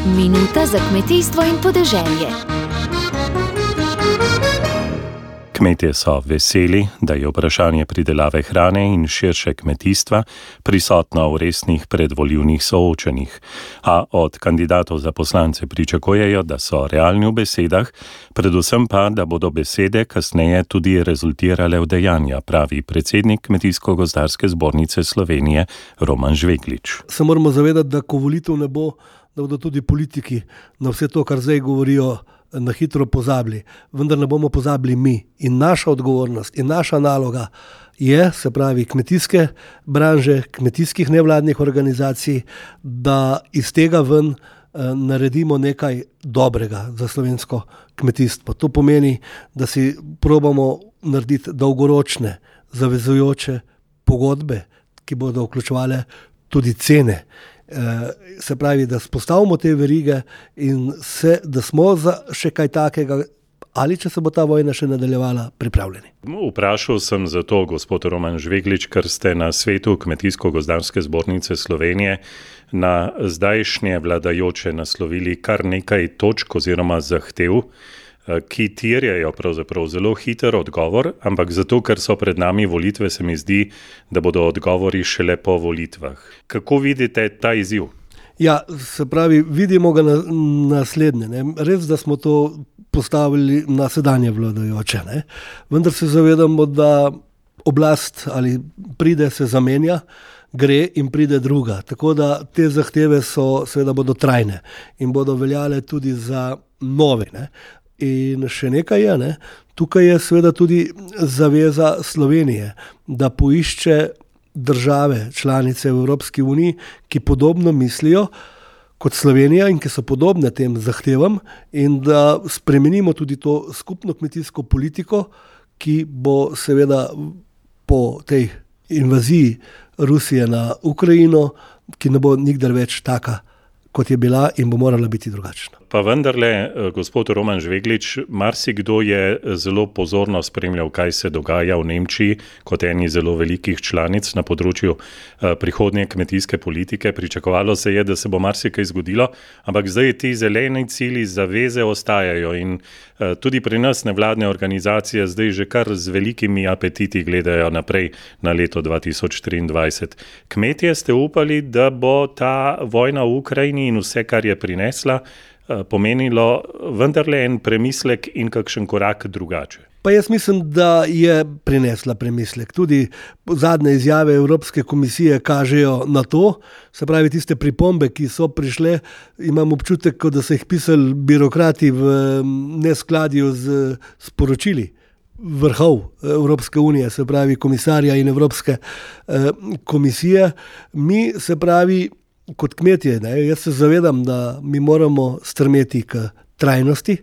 Minuta za kmetijstvo in podeželje. Kmetje so veseli, da je vprašanje pridelave hrane in širše kmetijstva prisotno v resnih predvolilnih soočenjih, a od kandidatov za poslance pričakujejo, da so realni v besedah, predvsem pa, da bodo besede kasneje tudi rezultirale v dejanja, pravi predsednik Kmetijsko-gozdarske zbornice Slovenije Roman Žveglič. Se moramo zavedati, da ko volitev ne bo, da bodo tudi politiki na vse to, kar zdaj govorijo, na hitro pozabili. Vendar ne bomo pozabili mi. In naša odgovornost in naša naloga je, se pravi, kmetijske branže, kmetijskih nevladnih organizacij, da iz tega ven naredimo nekaj dobrega za slovensko kmetijstvo. To pomeni, da si probamo narediti dolgoročne, zavezujoče pogodbe, ki bodo vključevale tudi cene. Se pravi, da spostavimo te verige in da smo za še kaj takega, ali če se bo ta vojna še nadaljevala, pripravljeni. Vprašal sem zato, gospod Roman Žveglič, ker ste na svetu Kmetijsko-gozdarske zbornice Slovenije na zdajšnje vladajoče naslovili kar nekaj točk oziroma zahtev, ki terjajo pravzaprav zelo hiter odgovor, ampak zato, ker so pred nami volitve, se mi zdi, da bodo odgovori šele po volitvah. Kako vidite ta izziv? Ja, se pravi, vidimo ga naslednje. Ne? Res, da smo to postavili na sedanje vladajoče, ne? Vendar se zavedamo, da oblast ali pride, se zamenja, gre in pride druga. Tako da te zahteve seveda bodo trajne in bodo veljale tudi za nove, ne? In še nekaj je, ne? Tukaj je seveda tudi zaveza Slovenije, da poišče države, članice v Evropski uniji, ki podobno mislijo kot Slovenija in ki so podobne tem zahtevam, in da spremenimo tudi to skupno kmetijsko politiko, ki bo seveda po tej invaziji Rusije na Ukrajino, ki ne bo nikdar več taka, kot je bila, in bo morala biti drugačna. Pa vendarle, gospod Roman Žveglič, marsikdo je zelo pozorno spremljal, kaj se dogaja v Nemčiji kot eni zelo velikih članic na področju prihodnje kmetijske politike. Pričakovalo se je, da se bo marsikaj zgodilo, ampak zdaj ti zeleni cilji, zaveze ostajajo in tudi pri nas nevladne organizacije zdaj že kar z velikimi apetiti gledajo naprej na leto 2023. Kmetje ste upali, da bo ta vojna v Ukrajini in vse, kar je prinesla, pomenilo vendarle en premislek in kakšen korak drugače? Pa jaz mislim, da je prinesla premislek. Tudi zadnje izjave Evropske komisije kažejo na to, se pravi tiste pripombe, ki so prišle, imam občutek, da so jih pisali birokrati v neskladju z sporočili vrhov Evropske unije, se pravi komisarja in Evropske komisije. Mi, se pravi, kot kmetje, ne, jaz se zavedam, da mi moramo strmeti k trajnosti,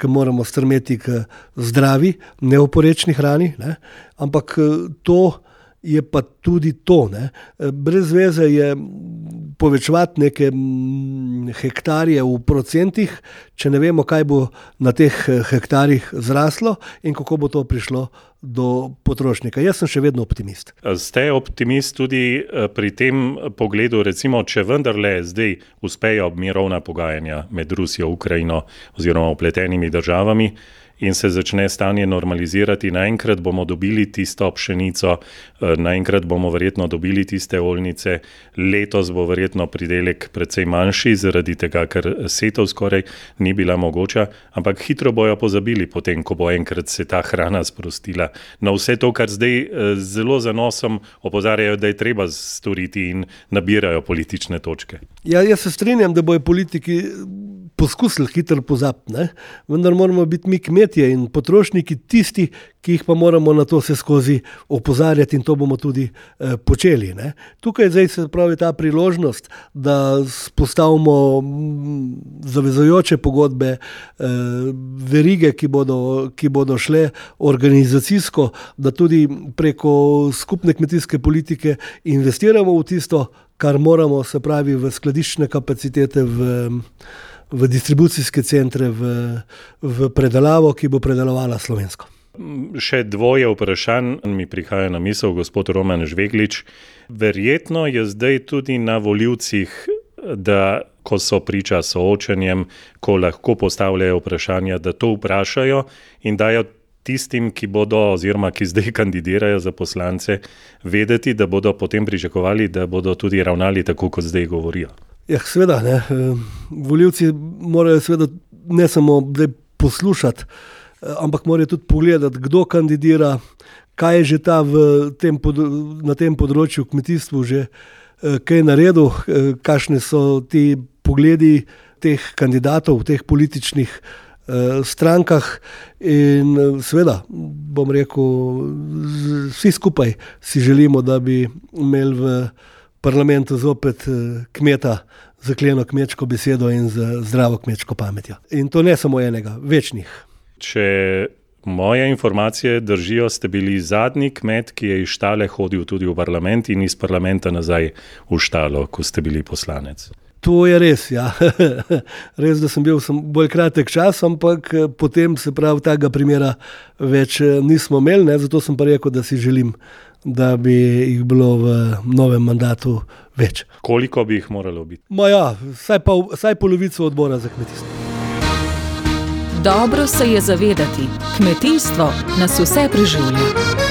moramo strmeti k zdravi, neoporečni hrani, ne, ampak to je pa tudi to. Ne. Brez veze je povečevati neke hektarje v procentih, če ne vemo, kaj bo na teh hektarjih zraslo in kako bo to prišlo do potrošnika. Jaz sem še vedno optimist. Ste optimist tudi pri tem pogledu, recimo, če vendarle zdaj uspejo mirovna pogajanja med Rusijo, Ukrajino oziroma vpletenimi državami in se začne stanje normalizirati, naenkrat bomo dobili tisto pšenico, naenkrat bomo verjetno dobili tiste oljnice, letos bo verjetno pridelek precej manjši, zaradi tega, ker setov skoraj ni bila mogoča, ampak hitro bojo pozabili potem, ko bo enkrat se ta hrana sprostila. Na vse to, kar zdaj zelo zanosom opozarjajo, da je treba storiti in nabirajo politične točke. Ja, jaz se strinjam, da bojo politiki poskusili hitro pozabiti, ne? Vendar moramo biti mi kmetje in potrošniki tisti, ki jih pa moramo na to se skozi opozarjati, in to bomo tudi počeli. Ne? Tukaj zdaj se pravi ta priložnost, da spostavimo zavezujoče pogodbe, verige, ki bodo šle organizacijsko, da tudi preko skupne kmetijske politike investiramo v tisto, kar moramo, se pravi v skladiščne kapacitete, v distribucijske centre, v predelavo, ki bo predelovala slovensko. Še dvoje vprašanj mi prihaja na misel, gospod Roman Žveglič. Verjetno je zdaj tudi na volivcih, da ko so priča soočenjem, ko lahko postavljajo vprašanja, da to vprašajo in dajo tistim, ki bodo oziroma ki zdaj kandidirajo za poslance, vedeti, da bodo potem pričakovali, da bodo tudi ravnali tako, kot zdaj govorijo. Ja, seveda, ne. Volivci morajo seveda ne samo poslušati, ampak morajo tudi pogledati, kdo kandidira, kaj je že ta na tem področju kmetijstvu že kaj naredil, kakšne so ti pogledi teh kandidatov v teh političnih strankah in seveda, bom rekel, vsi skupaj si želimo, da bi imeli v parlamentu zopet kmeta z kleno kmečko besedo in z zdravo kmečko pametjo. In to ne samo enega, večnih. Če moje informacije držijo, ste bili zadnji kmet, ki je iz štale hodil tudi v parlament in iz parlamenta nazaj v štalo, ko ste bili poslanec. To je res, ja. Res, da sem bil bolj kratek čas, ampak potem se pravi tega primera več nismo imeli, ne? Zato sem pa rekel, da si želim, da bi jih bilo v novem mandatu več. Koliko bi jih moralo biti? Vsaj polovico odbora za kmetijstvo. Dobro se je zavedati, kmetijstvo nas vse preživlja.